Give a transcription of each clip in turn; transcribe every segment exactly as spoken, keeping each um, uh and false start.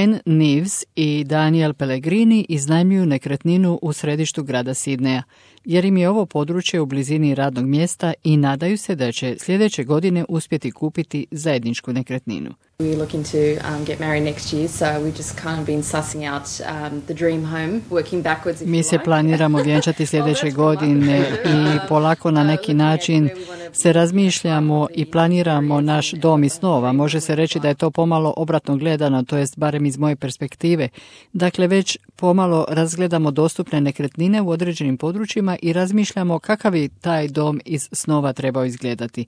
Anne Neves i Daniel Pellegrini iznajmljuju nekretninu u središtu grada Sidneja, jer im je ovo područje u blizini radnog mjesta i nadaju se da će sljedeće godine uspjeti kupiti zajedničku nekretninu. We're looking to um, get married next year, so we've just kind of been sussing out um, the dream home, working backwards. Mi se planiramo vjenčati sljedeće godine i polako na neki način se razmišljamo i planiramo naš dom iz snova. Može se reći da je to pomalo obratno gledano, to jest barem iz moje perspektive. Dakle, već pomalo razgledamo dostupne nekretnine u određenim područjima i razmišljamo kakav bi taj dom iz snova trebao izgledati.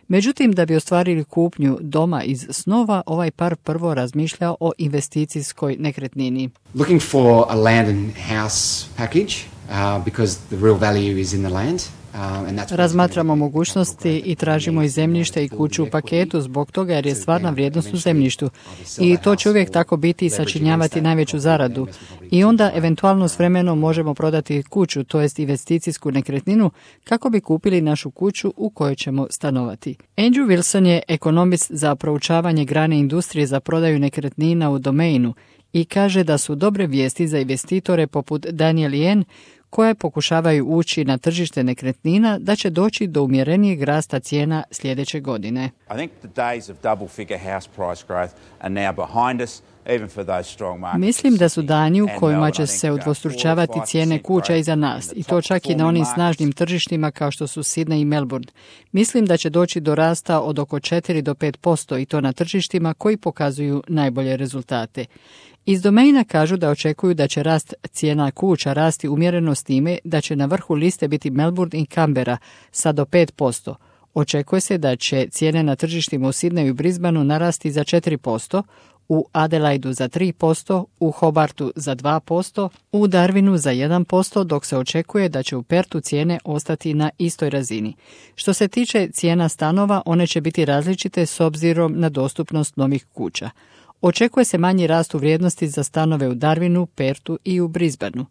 Međutim, da bi ostvarili kupnju doma iz snova, ovaj par prvo razmišlja o investicijskoj nekretnini. Looking for a land and house package uh, because the real value is in the land. Razmatramo mogućnosti i tražimo i zemljište i kuću u paketu zbog toga jer je stvarna vrijednost u zemljištu. I to će uvijek tako biti i sačinjavati najveću zaradu. I onda eventualno s vremenom možemo prodati kuću, to jest investicijsku nekretninu, kako bi kupili našu kuću u kojoj ćemo stanovati. Andrew Wilson je ekonomist za proučavanje grane industrije za prodaju nekretnina u Domainu i kaže da su dobre vijesti za investitore poput Daniel i Anne koje pokušavaju ući na tržište nekretnina, da će doći do umjerenijeg rasta cijena sljedeće godine. I think the days of double figure house price growth are now behind us. Mislim da su dani u kojima će se udvostručavati cijene kuća iza nas, i to čak i na onim snažnim tržištima kao što su Sydney i Melbourne. Mislim da će doći do rasta od oko četiri do pet posto i to na tržištima koji pokazuju najbolje rezultate. Iz Domaina kažu da očekuju da će rast cijena kuća rasti umjereno s time da će na vrhu liste biti Melbourne i Canberra sa do pet posto. Očekuje se da će cijene na tržištima u Sydneyu i Brisbaneu narasti za četiri posto, u Adelaidu za tri posto, u Hobartu za dva posto, u Darwinu za jedan posto, dok se očekuje da će u Pertu cijene ostati na istoj razini. Što se tiče cijena stanova, one će biti različite s obzirom na dostupnost novih kuća. Očekuje se manji rast u vrijednosti za stanove u Darwinu, Pertu i u Brisbaneu.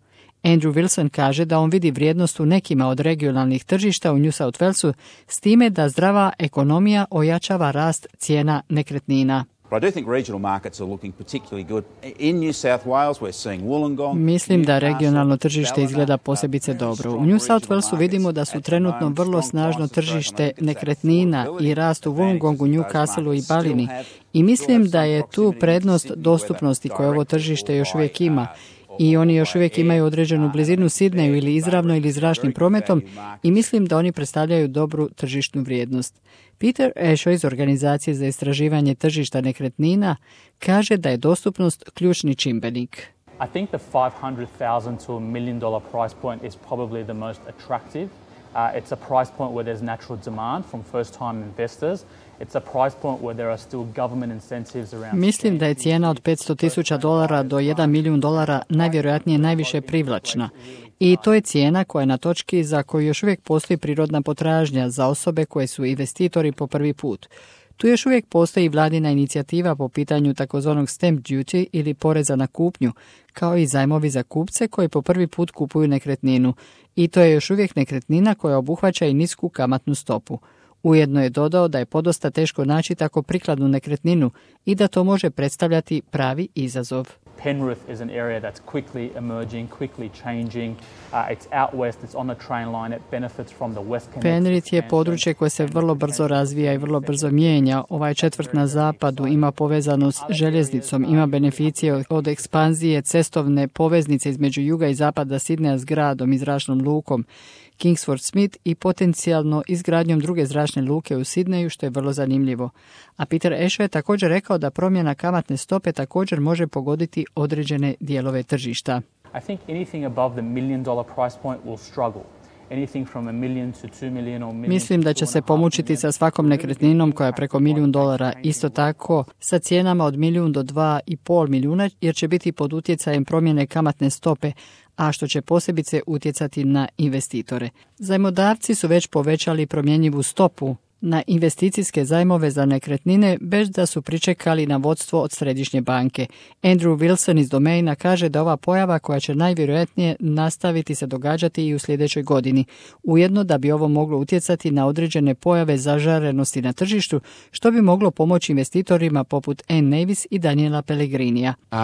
Andrew Wilson kaže da on vidi vrijednost u nekima od regionalnih tržišta u New South Walesu s time da zdrava ekonomija ojačava rast cijena nekretnina. Mislim da regionalno tržište izgleda posebice dobro. U New South Walesu vidimo da su trenutno vrlo snažno tržište nekretnina i rast u Wollongongu, Newcastleu i Ballini. I mislim da je tu prednost dostupnosti koje ovo tržište još uvijek ima. I oni još uvijek imaju određenu blizinu Sydneyu ili izravno ili zračnim prometom i mislim da oni predstavljaju dobru tržišnu vrijednost. Peter Esho iz Organizacije za istraživanje tržišta nekretnina kaže da je dostupnost ključni čimbenik. I think the five hundred thousand to a million dollar price point is probably the most attractive. Uh, it's a price point where there's natural demand from first-time investors. It's a price point where there are still government incentives around. Mislim da je cijena od petsto tisuća dolara do jedan milijun dolara najvjerojatnije najviše privlačna. I to je cijena koja je na točki za koju još uvijek postoji prirodna potražnja za osobe koje su investitori po prvi put. Tu još uvijek postoji vladina inicijativa po pitanju takozvanog stamp duty ili poreza na kupnju, kao i zajmovi za kupce koji po prvi put kupuju nekretninu. I to je još uvijek nekretnina koja obuhvaća i nisku kamatnu stopu. Ujedno je dodao da je podosta teško naći tako prikladnu nekretninu i da to može predstavljati pravi izazov. Penrith is an area that's quickly emerging, quickly changing. Uh, it's out west, it's on the train line, it benefits from the West Connect. Penrith je područje koje se vrlo brzo razvija i vrlo brzo mijenja. Ovaj četvrt na zapadu ima povezanost s željeznicom, ima beneficije od ekspanzije cestovne poveznice između juga i zapada Sidneja s gradom i zračnom lukom Kingsford Smith i potencijalno izgradnjom druge zračne luke u Sydneyu, što je vrlo zanimljivo. A Peter Esho je također rekao da promjena kamatne stope također može pogoditi određene dijelove tržišta. I think anything above the million dollar price point will struggle. Mislim da će se pomučiti sa svakom nekretninom koja je preko milijun dolara, isto tako sa cijenama od milijun do dva i pol milijuna, jer će biti pod utjecajem promjene kamatne stope, a što će posebice utjecati na investitore. Zajmodavci su već povećali promjenjivu stopu na investicijske zajmove za nekretnine bez da su pričekali na vodstvo od središnje banke. Andrew Wilson iz Domaina kaže da ova pojava koja će najvjerojatnije nastaviti se događati i u sljedećoj godini. Ujedno da bi ovo moglo utjecati na određene pojave zažarenosti na tržištu, što bi moglo pomoći investitorima poput Anne Navis i Daniela Pellegrinija. Uh,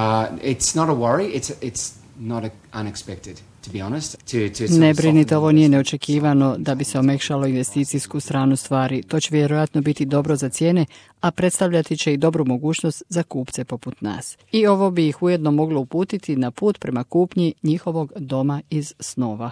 it's not a worry, it's, it's not unexpected. Ne brinite, ovo nije neočekivano da bi se omekšalo investicijsku stranu stvari. To će vjerojatno biti dobro za cijene, a predstavljati će i dobru mogućnost za kupce poput nas. I ovo bi ih ujedno moglo uputiti na put prema kupnji njihovog doma iz snova.